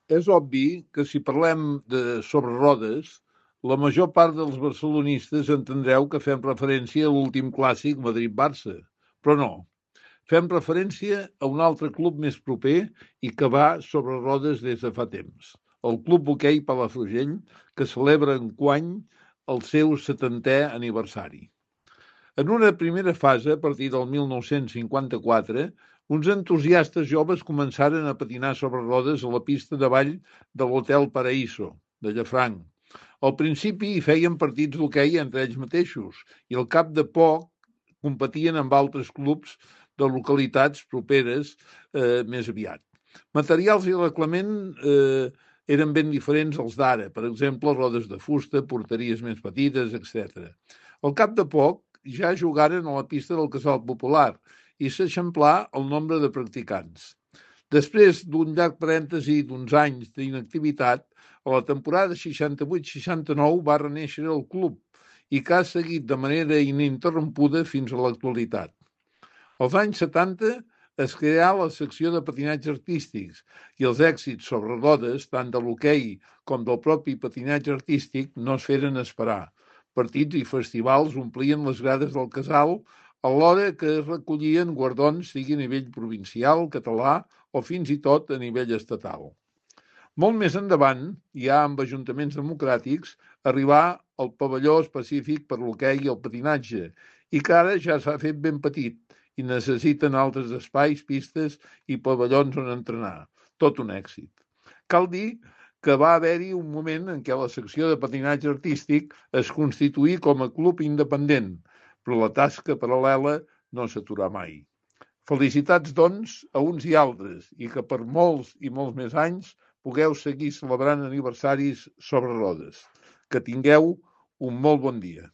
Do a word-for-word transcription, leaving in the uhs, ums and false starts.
És obvi que si parlem de sobre rodes, la major part dels barcelonistes entendreu que fem referència a l'últim clàssic Madrid-Barça, però no. Fem referència a un altre club més proper i que va sobre rodes des de fa temps, el Club Hoquei Palafrugell, que celebra enguany el seu setantè aniversari. En una primera fase, a partir del mil nou-cents cinquanta-quatre, uns entusiastes joves començaren a patinar sobre rodes a la pista de ball de l'Hotel Paraíso, de Llafranc. Al principi hi feien partits d'hoquei entre ells mateixos i al cap de poc competien amb altres clubs de localitats properes eh, més aviat. Materials i reglament eh, eren ben diferents als d'ara, per exemple, rodes de fusta, porteries més petites, etcètera. Al cap de poc ja jugaren a la pista del Casal Popular i s'eixamplà el nombre de practicants. Després d'un llarg parèntesi d'uns anys d'inactivitat, a la temporada seixanta-vuit seixanta-nou va renéixer el club i que ha seguit de manera ininterrompuda fins a l'actualitat. Als anys setanta es creà la secció de patinatge artístics i els èxits sobre rodes, tant de l'hoquei com del propi patinatge artístic, no es feren esperar. Partits i festivals omplien les grades del casal, alhora que es recollien guardons, sigui a nivell provincial, català o fins i tot a nivell estatal. Molt més endavant, ja amb ajuntaments democràtics, arribà el pavelló específic per l'hoquei i el patinatge, i que ara ja s'ha fet ben petit i necessiten altres espais, pistes i pavellons on entrenar. Tot un èxit. Cal dir que va haver-hi un moment en què la secció de patinatge artístic es constituí com a club independent, però la tasca paral·lela no s'aturà mai. Felicitats, doncs, a uns i altres, i que per molts i molts més anys pugueu seguir celebrant aniversaris sobre rodes. Que tingueu un molt bon dia.